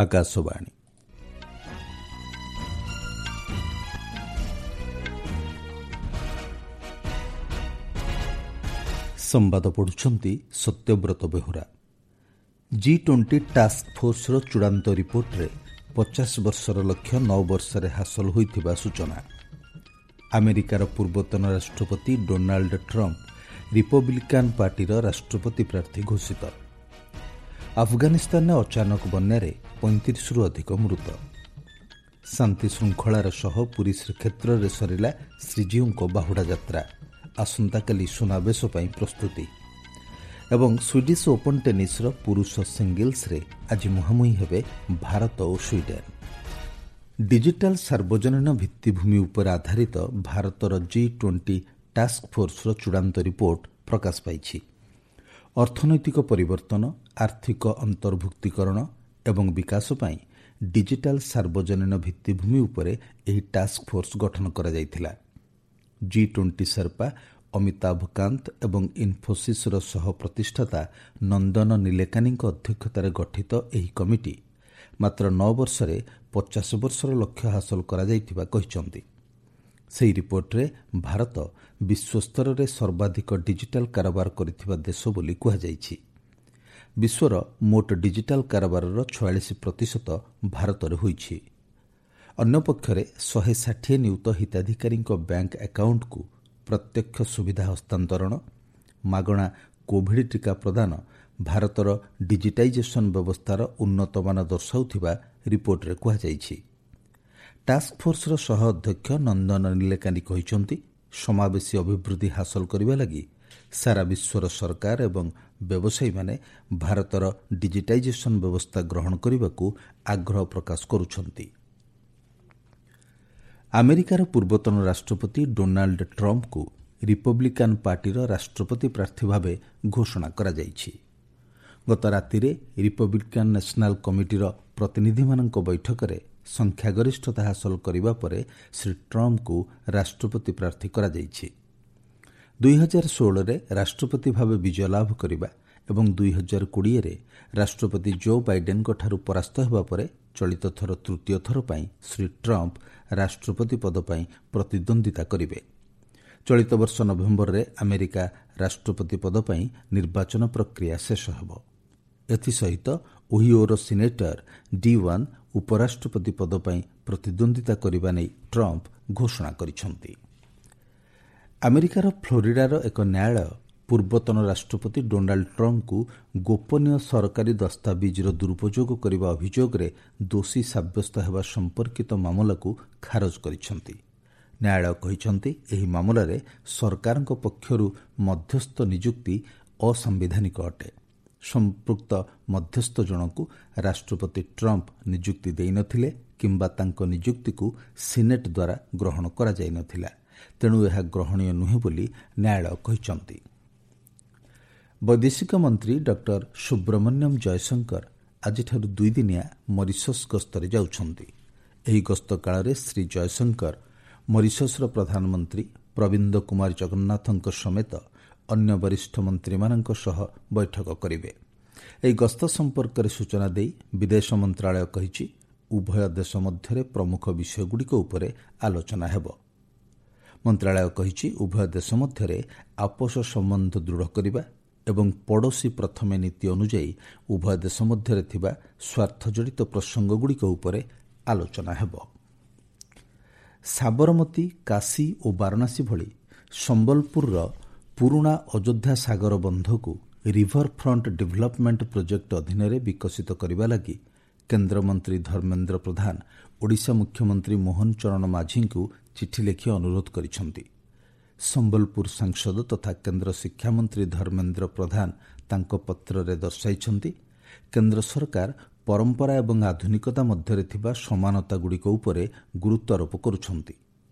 ଆକାଶବାଣୀ। ସମ୍ବାଦ ପଢ଼ୁଛନ୍ତି Satyabrata Behura. G 20 task ଫୋର୍ସର ଚୂଡ଼ାନ୍ତ ରିପୋର୍ଟରେ 50 ବର୍ଷର ଲକ୍ଷ୍ୟ 9 ବର୍ଷରେ ହାସଲ ହୋଇଥିବା ସୂଚନା। ଆମେରିକାର ପୂର୍ବତନ ରାଷ୍ଟ୍ରପତି ଡୋନାଲ୍ଡ ଟ୍ରମ୍ପ ରିପବ୍ଲିକାନ ପାର୍ଟିର ରାଷ୍ଟ୍ରପତି ପ୍ରାର୍ଥୀ ଘୋଷିତ। ଆଫଗାନିସ୍ତାନରେ ଅଚାନକ ବନ୍ୟାରେ 35ରୁ ଅଧିକ ମୃତ। ଶାନ୍ତିଶୃଙ୍ଖଳାର ସହ ପୁରୀ ଶ୍ରୀକ୍ଷେତ୍ରରେ ସରିଲା ଶ୍ରୀଜୀଉଙ୍କ ବାହୁଡ଼ା ଯାତ୍ରା। ଆସନ୍ତାକାଲି ସୁନାବେଶ ପାଇଁ ପ୍ରସ୍ତୁତି। ଏବଂ ସ୍ୱିଡିସ୍ ଓପନ୍ ଟେନିସ୍ର ପୁରୁଷ ସିଙ୍ଗଲ୍ସରେ ଆଜି ମୁହାଁମୁହିଁ ହେବେ ଭାରତ ଓ ସ୍ୱିଡେନ୍। ଡିଜିଟାଲ ସାର୍ବଜନୀନ ଭିତ୍ତିଭୂମି ଉପରେ ଆଧାରିତ ଭାରତର ଜି 20 ଟାସ୍କ ଫୋର୍ସର ଚୂଡ଼ାନ୍ତ ରିପୋର୍ଟ ପ୍ରକାଶ ପାଇଛି। ଅର୍ଥନୈତିକ ପରିବର୍ତ୍ତନ, ଆର୍ଥିକ ଅନ୍ତର୍ଭୁକ୍ତୀକରଣ ଏବଂ ବିକାଶ ପାଇଁ ଡିଜିଟାଲ ସାର୍ବଜନୀନ ଭିତ୍ତିଭୂମି ଉପରେ ଏହି ଟାସ୍କ ଫୋର୍ସ ଗଠନ କରାଯାଇଥିଲା। ଜି 20 ସେର୍ପା ଅମିତାଭ କାନ୍ତ ଏବଂ ଇନ୍ଫୋସିସ୍ର ସହ ପ୍ରତିଷ୍ଠାତା ନନ୍ଦନ ନିଲେକାନୀଙ୍କ ଅଧ୍ୟକ୍ଷତାରେ ଗଠିତ ଏହି କମିଟି ମାତ୍ର 9 ବର୍ଷରେ 50 ବର୍ଷର ଲକ୍ଷ୍ୟ ହାସଲ କରାଯାଇଥିବା କହିଛନ୍ତି। ସେହି ରିପୋର୍ଟରେ ଭାରତ ବିଶ୍ୱସ୍ତରରେ ସର୍ବାଧିକ ଡିଜିଟାଲ କାରବାର କରିଥିବା ଦେଶ ବୋଲି କୁହାଯାଇଛି। ବିଶ୍ୱର ମୋଟ ଡିଜିଟାଲ କାରବାରର 46% ଭାରତରେ ହୋଇଛି। ଅନ୍ୟପକ୍ଷରେ 160 ନିୟୁତ ହିତାଧିକାରୀଙ୍କ ବ୍ୟାଙ୍କ ଆକାଉଣ୍ଟକୁ ପ୍ରତ୍ୟକ୍ଷ ସୁବିଧା ହସ୍ତାନ୍ତରଣ, ମାଗଣା କୋଭିଡ୍ ଟିକା ପ୍ରଦାନ ଭାରତର ଡିଜିଟାଇଜେସନ୍ ବ୍ୟବସ୍ଥାର ଉନ୍ନତମାନ ଦର୍ଶାଉଥିବା ରିପୋର୍ଟରେ କୁହାଯାଇଛି। ଟାସ୍କ ଫୋର୍ସର ସହ ଅଧ୍ୟକ୍ଷ ନନ୍ଦନ ନିଲେକାନୀ କହିଛନ୍ତି, ସମାବେଶୀ ଅଭିବୃଦ୍ଧି ହାସଲ କରିବା ଲାଗି ସାରା ବିଶ୍ୱର ସରକାର ଏବଂ ବ୍ୟବସାୟୀମାନେ ଭାରତର ଡିଜିଟାଇଜେସନ୍ ବ୍ୟବସ୍ଥା ଗ୍ରହଣ କରିବାକୁ ଆଗ୍ରହ ପ୍ରକାଶ କରୁଛନ୍ତି। ଆମେରିକାର ପୂର୍ବତନ ରାଷ୍ଟ୍ରପତି ଡୋନାଲ୍ଡ ଟ୍ରମ୍ପଙ୍କୁ ରିପବ୍ଲିକାନ ପାର୍ଟିର ରାଷ୍ଟ୍ରପତି ପ୍ରାର୍ଥୀ ଭାବେ ଘୋଷଣା କରାଯାଇଛି। ଗତ ରାତିରେ ରିପବ୍ଲିକାନ ନ୍ୟାସନାଲ କମିଟିର ପ୍ରତିନିଧିମାନଙ୍କ ବୈଠକରେ ସଂଖ୍ୟାଗରିଷ୍ଠତା ହାସଲ କରିବା ପରେ ଶ୍ରୀ ଟ୍ରମ୍ପଙ୍କୁ ରାଷ୍ଟ୍ରପତି ପ୍ରାର୍ଥୀ କରାଯାଇଛି। 2016ରେ ରାଷ୍ଟ୍ରପତି ଭାବେ ବିଜୟ ଲାଭ କରିବା ଏବଂ 2020ରେ ରାଷ୍ଟ୍ରପତି ଜୋ ବାଇଡେନ୍ଙ୍କଠାରୁ ପରାସ୍ତ ହେବା ପରେ ଚଳିତ ଥର ତୃତୀୟ ଥର ପାଇଁ ଶ୍ରୀ ଟ୍ରମ୍ପ ରାଷ୍ଟ୍ରପତି ପଦ ପାଇଁ ପ୍ରତିଦ୍ୱନ୍ଦ୍ୱିତା କରିବେ। ଚଳିତ ବର୍ଷ ନଭେମ୍ବରରେ ଆମେରିକା ରାଷ୍ଟ୍ରପତି ପଦ ପାଇଁ ନିର୍ବାଚନ ପ୍ରକ୍ରିୟା ଶେଷ ହେବ। ଏଥିସହିତ ଓହିଓର ସିନେଟର ଡି ୱାନ୍ ଉପରାଷ୍ଟ୍ରପତି ପଦ ପାଇଁ ପ୍ରତିଦ୍ୱନ୍ଦ୍ୱିତା କରିବା ନେଇ ଟ୍ରମ୍ପ ଘୋଷଣା କରିଛନ୍ତି। ଆମେରିକାର ଫ୍ଲୋରିଡାର ଏକ ନ୍ୟାୟାଳୟ ପୂର୍ବତନ ରାଷ୍ଟ୍ରପତି ଡୋନାଲ୍ଡ ଟ୍ରମ୍ପଙ୍କୁ ଗୋପନୀୟ ସରକାରୀ ଦସ୍ତାବିଜ୍ର ଦୁରୁପଯୋଗ କରିବା ଅଭିଯୋଗରେ ଦୋଷୀ ସାବ୍ୟସ୍ତ ହେବା ସମ୍ପର୍କିତ ମାମଲାକୁ ଖାରଜ କରିଛନ୍ତି। ନ୍ୟାୟାଳୟ କହିଛନ୍ତି, ଏହି ମାମଲାରେ ସରକାରଙ୍କ ପକ୍ଷରୁ ମଧ୍ୟସ୍ଥ ନିଯୁକ୍ତି ଅସାମ୍ବିଧାନିକ ଅଟେ। ସମ୍ପୃକ୍ତ ମଧ୍ୟସ୍ଥ ଜଣଙ୍କୁ ରାଷ୍ଟ୍ରପତି ଟ୍ରମ୍ପ ନିଯୁକ୍ତି ଦେଇନଥିଲେ କିମ୍ବା ତାଙ୍କ ନିଯୁକ୍ତିକୁ ସିନେଟ୍ ଦ୍ୱାରା ଗ୍ରହଣ କରାଯାଇନଥିଲା, ତେଣୁ ଏହା ଗ୍ରହଣୀୟ ନୁହେଁ ବୋଲି ନ୍ୟାୟାଳୟ କହିଛନ୍ତି। ବୈଦେଶିକ ମନ୍ତ୍ରୀ ଡକ୍ଟର ସୁବ୍ରମଣ୍ୟମ ଜୟଶଙ୍କର ଆଜିଠାରୁ ଦୁଇଦିନିଆ ମରିସସ୍ ଗସ୍ତରେ ଯାଉଛନ୍ତି। ଏହି ଗସ୍ତ କାଳରେ ଶ୍ରୀ ଜୟଶଙ୍କର ମରିସସ୍ର ପ୍ରଧାନମନ୍ତ୍ରୀ ପ୍ରବୀନ୍ଦ କୁମାର ଜଗନ୍ନାଥଙ୍କ ସମେତ ଅନ୍ୟ ବରିଷ୍ଠ ମନ୍ତ୍ରୀମାନଙ୍କ ସହ ବୈଠକ କରିବେ। ଏହି ଗସ୍ତ ସମ୍ପର୍କରେ ସୂଚନା ଦେଇ ବିଦେଶ ମନ୍ତ୍ରାଳୟ କହିଛି, ଉଭୟ ଦେଶ ମଧ୍ୟରେ ପ୍ରମୁଖ ବିଷୟଗୁଡ଼ିକ ଉପରେ ଆଲୋଚନା ହେବ। ମନ୍ତ୍ରାଳୟ କହିଛି, ଉଭୟ ଦେଶ ମଧ୍ୟରେ ଆପୋଷ ସମ୍ବନ୍ଧ ଦୃଢ଼ କରିବା ଏବଂ ପଡ଼ୋଶୀ ପ୍ରଥମେ ନୀତି ଅନୁଯାୟୀ ଉଭୟ ଦେଶ ମଧ୍ୟରେ ଥିବା ସ୍ୱାର୍ଥଜଡ଼ିତ ପ୍ରସଙ୍ଗଗୁଡ଼ିକ ଉପରେ ଆଲୋଚନା ହେବ। ସାବରମତୀ, କାଶୀ ଓ ବାରାଣସୀ ଭଳି ସମ୍ବଲପୁରର ପୁରୁଣା ଅଯୋଧ୍ୟା ସାଗର ବନ୍ଧକୁ ରିଭର ଫ୍ରଣ୍ଟ ଡେଭଲପମେଣ୍ଟ ପ୍ରୋଜେକ୍ଟ ଅଧୀନରେ ବିକଶିତ କରିବା ଲାଗି କେନ୍ଦ୍ରମନ୍ତ୍ରୀ ଧର୍ମେନ୍ଦ୍ର ପ୍ରଧାନ ଓଡ଼ିଶା ମୁଖ୍ୟମନ୍ତ୍ରୀ ମୋହନ ଚରଣ ମାଝୀଙ୍କୁ ଚିଠି ଲେଖି ଅନୁରୋଧ କରିଛନ୍ତି। ସମ୍ବଲପୁର ସାଂସଦ ତଥା କେନ୍ଦ୍ର ଶିକ୍ଷାମନ୍ତ୍ରୀ ଧର୍ମେନ୍ଦ୍ର ପ୍ରଧାନ ତାଙ୍କ ପତ୍ରରେ ଦର୍ଶାଇଛନ୍ତି, କେନ୍ଦ୍ର ସରକାର ପରମ୍ପରା ଏବଂ ଆଧୁନିକତା ମଧ୍ୟରେ ଥିବା ସମାନତାଗୁଡ଼ିକ ଉପରେ ଗୁରୁତ୍ୱାରୋପ କରୁଛନ୍ତି।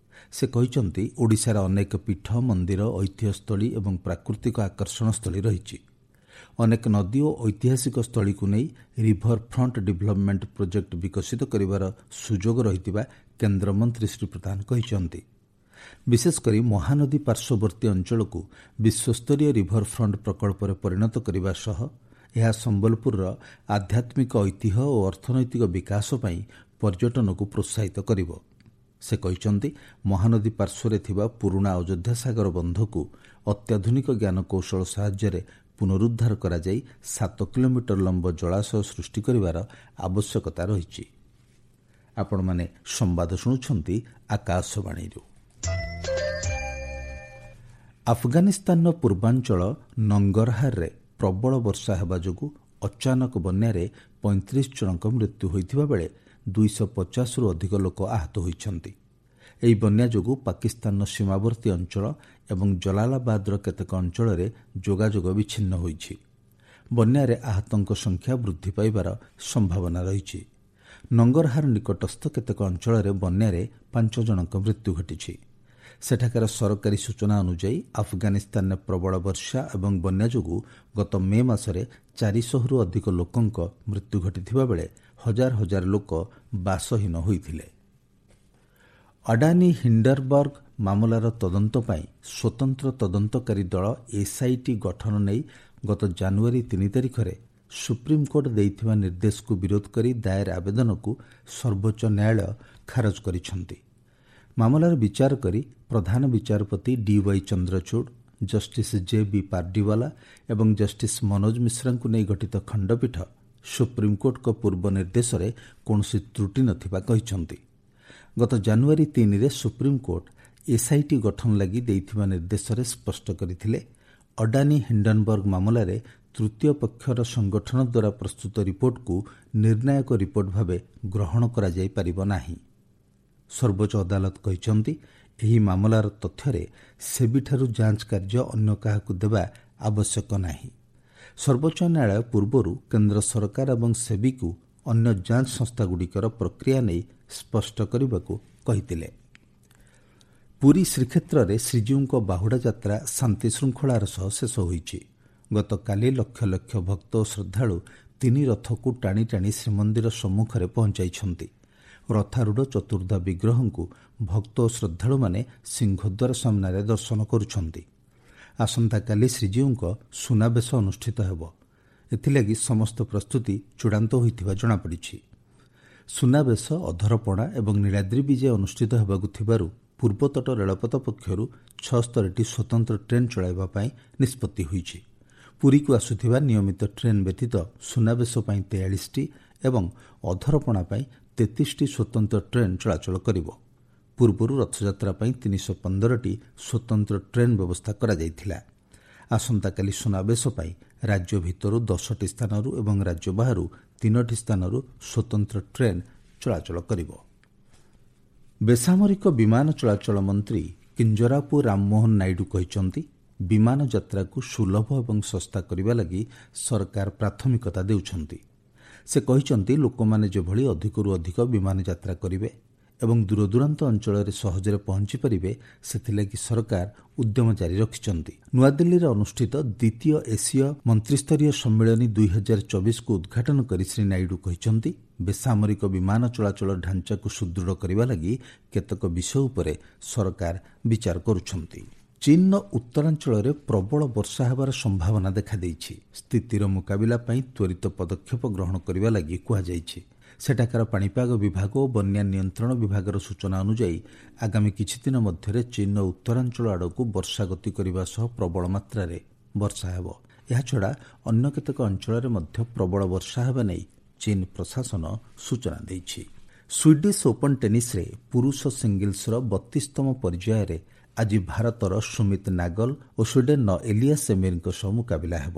ସେ କହିଛନ୍ତି, ଓଡ଼ିଶାର ଅନେକ ପୀଠ, ମନ୍ଦିର, ଐତିହ୍ୟସ୍ଥଳୀ ଏବଂ ପ୍ରାକୃତିକ ଆକର୍ଷଣସ୍ଥଳୀ ରହିଛି। ଅନେକ ନଦୀ ଓ ଐତିହାସିକ ସ୍ଥଳୀକୁ ନେଇ ରିଭର ଫ୍ରଣ୍ଟ ଡେଭଲପମେଣ୍ଟ ପ୍ରୋଜେକ୍ଟ ବିକଶିତ କରିବାର ସୁଯୋଗ ରହିଥିବା କେନ୍ଦ୍ରମନ୍ତ୍ରୀ ଶ୍ରୀ ପ୍ରଧାନ କହିଛନ୍ତି। ବିଶେଷକରି ମହାନଦୀ ପାର୍ଶ୍ୱବର୍ତ୍ତୀ ଅଞ୍ଚଳକୁ ବିଶ୍ୱସ୍ତରୀୟ ରିଭର ଫ୍ରଣ୍ଟ ପ୍ରକଳ୍ପରେ ପରିଣତ କରିବା ସହ ଏହା ସମ୍ବଲପୁରର ଆଧ୍ୟାତ୍ମିକ ଐତିହ୍ୟ ଓ ଅର୍ଥନୈତିକ ବିକାଶ ପାଇଁ ପର୍ଯ୍ୟଟନକୁ ପ୍ରୋତ୍ସାହିତ କରିବ। ସେ କହିଛନ୍ତି, ମହାନଦୀ ପାର୍ଶ୍ୱରେ ଥିବା ପୁରୁଣା ଅଯୋଧ୍ୟା ସାଗର ବନ୍ଧକୁ ଅତ୍ୟାଧୁନିକ ଜ୍ଞାନକୌଶଳ ସାହାଯ୍ୟରେ ପୁନରୁଦ୍ଧାର କରାଯାଇ 7 କିଲୋମିଟର ଲମ୍ବ ଜଳାଶୟ ସୃଷ୍ଟି କରିବାର ଆବଶ୍ୟକତା ରହିଛି। ଆପଣମାନେ ସମ୍ବାଦ ଶୁଣୁଛନ୍ତି ଆକାଶବାଣୀରୁ। ଆଫଗାନିସ୍ତାନର ପୂର୍ବାଞ୍ଚଳ ନଙ୍ଗରହାରରେ ପ୍ରବଳ ବର୍ଷା ହେବା ଯୋଗୁଁ ଅଚାନକ ବନ୍ୟାରେ 35 ଜଣଙ୍କ ମୃତ୍ୟୁ ହୋଇଥିବା ବେଳେ 250ରୁ ଅଧିକ ଲୋକ ଆହତ ହୋଇଛନ୍ତି। ଏହି ବନ୍ୟା ଯୋଗୁଁ ପାକିସ୍ତାନର ସୀମାବର୍ତ୍ତୀ ଅଞ୍ଚଳ ଏବଂ ଜଲାଲାବାଦର କେତେକ ଅଞ୍ଚଳରେ ଯୋଗାଯୋଗ ବିଚ୍ଛିନ୍ନ ହୋଇଛି। ବନ୍ୟାରେ ଆହତଙ୍କ ସଂଖ୍ୟା ବୃଦ୍ଧି ପାଇବାର ସମ୍ଭାବନା ରହିଛି। ନଙ୍ଗରହାର ନିକଟସ୍ଥ କେତେକ ଅଞ୍ଚଳରେ ବନ୍ୟାରେ 5 ଜଣଙ୍କ ମୃତ୍ୟୁ ଘଟିଛି। ସେଠାକାର ସରକାରୀ ସୂଚନା ଅନୁଯାୟୀ ଆଫଗାନିସ୍ତାନରେ ପ୍ରବଳ ବର୍ଷା ଏବଂ ବନ୍ୟା ଯୋଗୁଁ ଗତ ମେ ମାସରେ 400ରୁ ଅଧିକ ଲୋକଙ୍କ ମୃତ୍ୟୁ ଘଟିଥିବା ବେଳେ ହଜାର ହଜାର ଲୋକ ବାସହୀନ ହୋଇଥିଲେ। ଅଡାନି ହିଣ୍ଡରବର୍ଗ ମାମଲାର ତଦନ୍ତ ପାଇଁ ସ୍ୱତନ୍ତ୍ର ତଦନ୍ତକାରୀ ଦଳ ଏସ୍ଆଇଟି ଗଠନ ନେଇ ଗତ ଜାନୁଆରୀ 3 ତାରିଖରେ ସୁପ୍ରିମକୋର୍ଟ ଦେଇଥିବା ନିର୍ଦ୍ଦେଶକୁ ବିରୋଧ କରି ଦାଏର ଆବେଦନକୁ ସର୍ବୋଚ୍ଚ ନ୍ୟାୟାଳୟ ଖାରଜ କରିଛନ୍ତି। ମାମଲାର ବିଚାର କରି ପ୍ରଧାନ ବିଚାରପତି D Y Chandrachud, justice J B Pardiwala ଏବଂ ଜଷ୍ଟିସ୍ ମନୋଜ ମିଶ୍ରାଙ୍କୁ ନେଇ ଗଠିତ ଖଣ୍ଡପୀଠ ସୁପ୍ରିମକୋର୍ଟଙ୍କ ପୂର୍ବ ନିର୍ଦ୍ଦେଶରେ କୌଣସି ତ୍ରୁଟି ନଥିବା କହିଛନ୍ତି। ଗତ ଜାନୁଆରୀ 3ରେ ସୁପ୍ରିମକୋର୍ଟ ଏସ୍ଆଇଟି ଗଠନ ଲାଗି ଦେଇଥିବା ନିର୍ଦ୍ଦେଶରେ ସ୍ପଷ୍ଟ କରିଥିଲେ, ଅଡାନି ହିଣ୍ଡନବର୍ଗ ମାମଲାରେ ତୃତୀୟ ପକ୍ଷର ସଂଗଠନ ଦ୍ୱାରା ପ୍ରସ୍ତୁତ ରିପୋର୍ଟକୁ ନିର୍ଣ୍ଣାୟକ ରିପୋର୍ଟ ଭାବେ ଗ୍ରହଣ କରାଯାଇପାରିବ ନାହିଁ। ସର୍ବୋଚ୍ଚ ଅଦାଲତ କହିଛନ୍ତି, ଏହି ମାମଲାର ତଥ୍ୟରେ ସେବିଠାରୁ ଯାଞ୍ଚ କାର୍ଯ୍ୟ ଅନ୍ୟ କାହାକୁ ଦେବା ଆବଶ୍ୟକ ନାହିଁ। ସର୍ବୋଚ୍ଚ ନ୍ୟାୟାଳୟ ପୂର୍ବରୁ କେନ୍ଦ୍ର ସରକାର ଏବଂ ସେବିକୁ ଅନ୍ୟ ଯାଞ୍ଚ ସଂସ୍ଥାଗୁଡ଼ିକର ପ୍ରକ୍ରିୟା ନେଇ ସ୍ପଷ୍ଟ କରିବାକୁ କହିଥିଲେ। ପୁରୀ ଶ୍ରୀକ୍ଷେତ୍ରରେ ଶ୍ରୀଜୀଉଙ୍କ ବାହୁଡ଼ା ଯାତ୍ରା ଶାନ୍ତିଶୃଙ୍ଖଳାର ସହ ଶେଷ ହୋଇଛି। ଗତକାଲି ଲକ୍ଷ ଲକ୍ଷ ଭକ୍ତ ଓ ଶ୍ରଦ୍ଧାଳୁ 3 ରଥକୁ ଟାଣି ଟାଣି ଶ୍ରୀମନ୍ଦିର ସମ୍ମୁଖରେ ପହଞ୍ଚାଇଛନ୍ତି। ରଥାରୂଢ଼ ଚତୁର୍ଦ୍ଧା ବିଗ୍ରହଙ୍କୁ ଭକ୍ତ ଓ ଶ୍ରଦ୍ଧାଳୁମାନେ ସିଂହଦ୍ୱାର ସାମ୍ନାରେ ଦର୍ଶନ କରୁଛନ୍ତି। ଆସନ୍ତାକାଲି ଶ୍ରୀଜୀଉଙ୍କ ସୁନାବେଶ ଅନୁଷ୍ଠିତ ହେବ। ଏଥିଲାଗି ସମସ୍ତ ପ୍ରସ୍ତୁତି ଚୂଡ଼ାନ୍ତ ହୋଇଥିବା ଜଣାପଡ଼ିଛି। ସୁନାବେଶ, ଅଧରପଣା ଏବଂ ନୀଳାଦ୍ରି ବିଜେ ଅନୁଷ୍ଠିତ ହେବାକୁ ଥିବାରୁ ପୂର୍ବତଟ ରେଳପଥ ପକ୍ଷରୁ 76ଟି ସ୍ୱତନ୍ତ୍ର ଟ୍ରେନ୍ ଚଳାଇବା ପାଇଁ ନିଷ୍ପତ୍ତି ହୋଇଛି। ପୁରୀକୁ ଆସୁଥିବା ନିୟମିତ ଟ୍ରେନ୍ ବ୍ୟତୀତ ସୁନାବେଶ ପାଇଁ 43ଟି ଏବଂ ଅଧରପଣା ପାଇଁ 33ଟି ସ୍ୱତନ୍ତ୍ର ଟ୍ରେନ୍ ଚଳାଚଳ କରିବ। ପୂର୍ବରୁ ରଥଯାତ୍ରା ପାଇଁ 315ଟି ସ୍ୱତନ୍ତ୍ର ଟ୍ରେନ୍ ବ୍ୟବସ୍ଥା କରାଯାଇଥିଲା। ଆସନ୍ତାକାଲି ସୁନାବେଶ ପାଇଁ ରାଜ୍ୟ ଭିତରୁ 10ଟି ସ୍ଥାନରୁ ଏବଂ ରାଜ୍ୟ ବାହାରୁ 3ଟି ସ୍ଥାନରୁ ସ୍ୱତନ୍ତ୍ର ଟ୍ରେନ୍ ଚଳାଚଳ କରିବ। ବେସାମରିକ ବିମାନ ଚଳାଚଳ ମନ୍ତ୍ରୀ କିଞ୍ଜରାପୁ ରାମମୋହନ ନାଇଡୁ କହିଛନ୍ତି, ବିମାନ ଯାତ୍ରାକୁ ସୁଲଭ ଏବଂ ଶସ୍ତା କରିବା ଲାଗି ସରକାର ପ୍ରାଥମିକତା ଦେଉଛନ୍ତି। ସେ କହିଛନ୍ତି, ଲୋକମାନେ ଯେଭଳି ଅଧିକରୁ ଅଧିକ ବିମାନ ଯାତ୍ରା କରିବେ ଏବଂ ଦୂରଦୂରାନ୍ତ ଅଞ୍ଚଳରେ ସହଜରେ ପହଞ୍ଚିପାରିବେ ସେଥିଲାଗି ସରକାର ଉଦ୍ୟମ ଜାରି ରଖିଛନ୍ତି। ନୂଆଦିଲ୍ଲୀରେ ଅନୁଷ୍ଠିତ ଦ୍ୱିତୀୟ ଏସୀୟ ମନ୍ତ୍ରିସ୍ତରୀୟ ସମ୍ମିଳନୀ 2024କୁ ଉଦ୍ଘାଟନ କରି ଶ୍ରୀ ନାଇଡୁ କହିଛନ୍ତି, ବେସାମରିକ ବିମାନ ଚଳାଚଳ ଢାଞ୍ଚାକୁ ସୁଦୃଢ଼ କରିବା ଲାଗି କେତେକ ବିଷୟ ଉପରେ ସରକାର ବିଚାର କରୁଛନ୍ତି। ଚୀନର ଉତ୍ତରାଞ୍ଚଳରେ ପ୍ରବଳ ବର୍ଷା ହେବାର ସମ୍ଭାବନା ଦେଖାଦେଇଛି। ସ୍ଥିତିର ମୁକାବିଲା ପାଇଁ ତ୍ୱରିତ ପଦକ୍ଷେପ ଗ୍ରହଣ କରିବା ଲାଗି କୁହାଯାଇଛି। ସେଠାକାର ପାଣିପାଗ ବିଭାଗ ଓ ବନ୍ୟା ନିୟନ୍ତ୍ରଣ ବିଭାଗର ସୂଚନା ଅନୁଯାୟୀ ଆଗାମୀ କିଛିଦିନ ମଧ୍ୟରେ ଚୀନର ଉତ୍ତରାଞ୍ଚଳ ଆଡ଼କୁ ବର୍ଷା ଗତି କରିବା ସହ ପ୍ରବଳ ମାତ୍ରାରେ ବର୍ଷା ହେବ। ଏହାଛଡ଼ା ଅନ୍ୟ କେତେକ ଅଞ୍ଚଳରେ ମଧ୍ୟ ପ୍ରବଳ ବର୍ଷା ହେବା ନେଇ ଚୀନ ପ୍ରଶାସନ ସୂଚନା ଦେଇଛି। ସ୍ୱିଡିସ୍ ଓପନ୍ ଟେନିସ୍ରେ ପୁରୁଷ ସିଙ୍ଗଲ୍ସର 32ତମ ପର୍ଯ୍ୟାୟରେ ଆଜି ଭାରତର ସୁମିତ ନାଗଲ ଓ ସ୍ୱିଡେନ୍ର ଏଲିଆସ୍ ଏମିରଙ୍କ ସହ ମୁକାବିଲା ହେବ।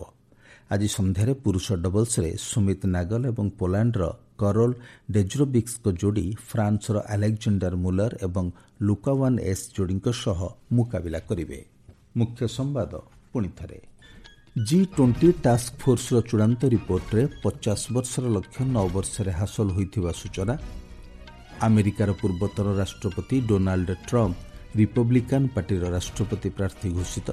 ଆଜି ସନ୍ଧ୍ୟାରେ ପୁରୁଷ ଡବଲ୍ସରେ ସୁମିତ ନାଗଲ ଏବଂ ପୋଲାଣ୍ଡର କରୋଲ ଡେଜ୍ରୋବିକ୍ସଙ୍କ ଯୋଡ଼ି ଫ୍ରାନ୍ସର ଆଲେକ୍ଜାଣ୍ଡାର ମୁଲର ଏବଂ ଲୁକାୱାନ୍ ଏସ୍ ଯୋଡ଼ିଙ୍କ ସହ ମୁକାବିଲା କରିବେ। ମୁଖ୍ୟ ସମ୍ବାଦ ପୁଣିଥରେ। G20 task ଫୋର୍ସର ଚୂଡ଼ାନ୍ତ ରିପୋର୍ଟରେ 50 ବର୍ଷର ଲକ୍ଷ୍ୟ 9 ବର୍ଷରେ ହାସଲ ହୋଇଥିବା ସୂଚନା। ଆମେରିକାର ପୂର୍ବତନ ରାଷ୍ଟ୍ରପତି ଡୋନାଲ୍ଡ ଟ୍ରମ୍ପ ରିପବ୍ଲିକାନ୍ ପାର୍ଟିର ରାଷ୍ଟ୍ରପତି ପ୍ରାର୍ଥୀ ଘୋଷିତ।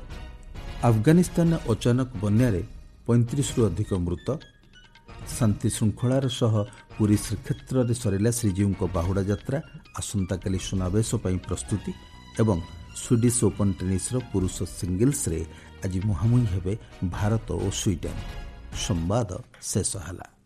ଆଫଗାନିସ୍ତାନରେ ଅଚାନକ ବନ୍ୟାରେ 35ରୁ ଅଧିକ ମୃତ। ଶାନ୍ତିଶୃଙ୍ଖଳାର ସହ ପୁରୀ ଶ୍ରୀକ୍ଷେତ୍ରରେ ସରିଲା ଶ୍ରୀଜୀଉଙ୍କ ବାହୁଡ଼ା ଯାତ୍ରା। ଆସନ୍ତାକାଲି ସୁନାବେଶ ପାଇଁ ପ୍ରସ୍ତୁତି। ଏବଂ ସ୍ୱିଡିସ୍ ଓପନ୍ ଟେନିସ୍ର ପୁରୁଷ ସିଙ୍ଗଲ୍ସରେ ଆଜି ମୁହାଁମୁହିଁ ହେବେ ଭାରତ ଓ ସ୍ୱିଡେନ୍। ସମ୍ବାଦ ଶେଷ ହେଲା।